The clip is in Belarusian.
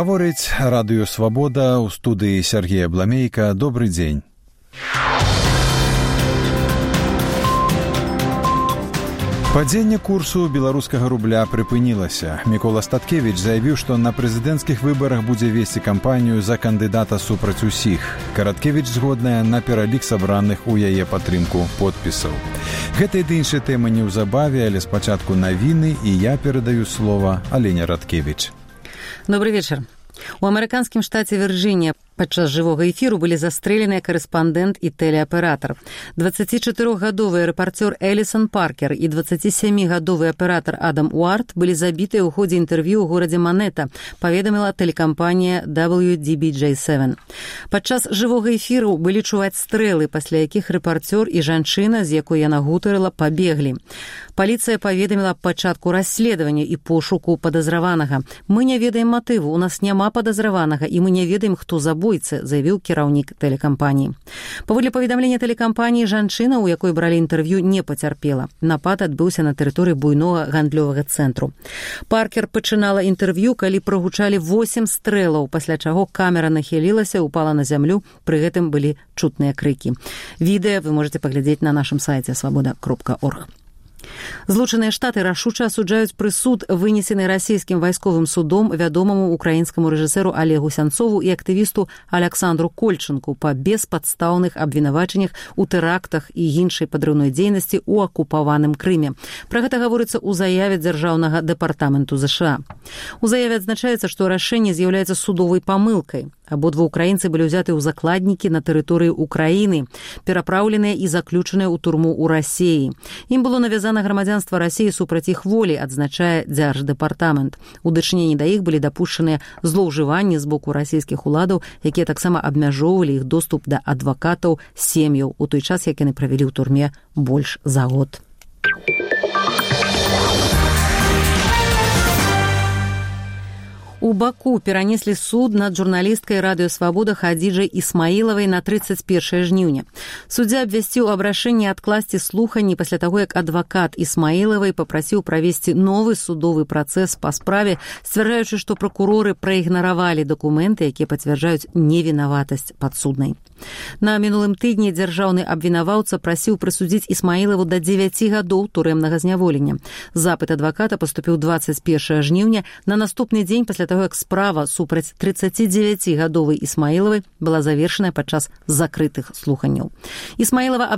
Гаворыць радыё «Свабода», у студыі Сергея Бламейка. Добры дзень. Падзенне курсу беларускага рубля прыпынілася. Мікола Статкевіч заявіў, што на прэзідэнцкіх выбарах будзе весці кампанію за кандыдата супраць усіх. Караткевіч згодная на пералік сабраных у яе падтрымку подпісаў. Гэта і іншыя тэмы неўзабаве, але спачатку навіны, і я перадаю слова Алене Радкевіч. Добрый вечер. У амерыканскім штаце Вірджынія падчас жывога эфіру былі застрэленыя карэспандэнт і тэлеаператар. 24-гадовы рэпарцёр Элісон Паркер і 27-гадовы аператар Адам Уарт былі забітыя ў ходзе інтэрв'ю ў горадзе Манета, паведаміла тэлекампанія WDBJ7. Падчас жывога эфіру былі чуваць стрэлы, пасля якіх рэпарцёр і жанчына, з якой яна гутарыла, пабеглі. Паліцыя паведаміла аб пачатку расследавання і пошуку падазраванага. Мы не ведаем матыву, у нас няма падазраванага, і мы не ведаем, хто забойцы, заявіў кіраўнік тэлекампаніі. Паводле паведамлення тэлекампаніі, жанчына, у якой бралі інтэрв'ю, не пацярпела. Напад адбыўся на тэрыторыі буйнога гандлёвага цэнтру. Паркер пачынала інтэрв'ю, калі прагучалі 8 стрэлаў, пасля чаго камера нахілілася, упала на зямлю, пры гэтым былі чутныя крыкі. Відэа вы можете паглядзець на нашым сайце svoboda.org. Злучаныя Штаты рашуча асуджаюць прысуд, вынесены расійскім вайсковым судом вядомаму украінскаму рэжысэру Олегу Сянцову і актывісту Аляксандру Кольчынку па беспадстаўных абвінавачаннях у тэрактах і іншай падрыўной дзейнасці ў акупаваным Крыме. Пра гэта гаворыцца ў заяве Дзяржаўнага дэпартаменту ЗША. У заяве адзначаецца, што рашэнне з'яўляецца судовай памылкай. Абодва украінцы былі ўзяты ў закладнікі на тэрыторыі Украіны, перапраўленыя і заключаныя ў турму ў Расіі. Ім было навязана грамадзянства Расіі супраць іх волі, адзначае Дзярждэпартамент. У дачыненні да іх былі дапушчаныя злоўжыванні з боку расійскіх уладаў, якія таксама абмяжоўвалі іх доступ да адвакатаў, сем'яў, у той час, як яны правялі ў турме больш за год. У Баку перанеслі суд над журналісткай радыё «Свабода» Хадзіджай Ісмаілавай на 31 жніўня. Суддзя абвясціў аб рашэнні адкласці слуханні пасля таго, як адвакат Ісмаілавай папрасіў правесці новы судовы працэс па справе, сцвярджаючы, што пракуроры праігнаравалі дакументы, якія пацвярджаюць невінаватасць падсуднай. На мінулым тыдні дзяржаўны абвінаваўца прасіў прысудзіць Ісмаілаву да 9 гадоў турэмнага зняволення. Запыт адваката паступіў 21 жніўня, на наступны дзень пасля таго, як справа супраць 39-гадовай Ісмаілавай была завершаная падчас закрытых слуханняў. Ісмаілава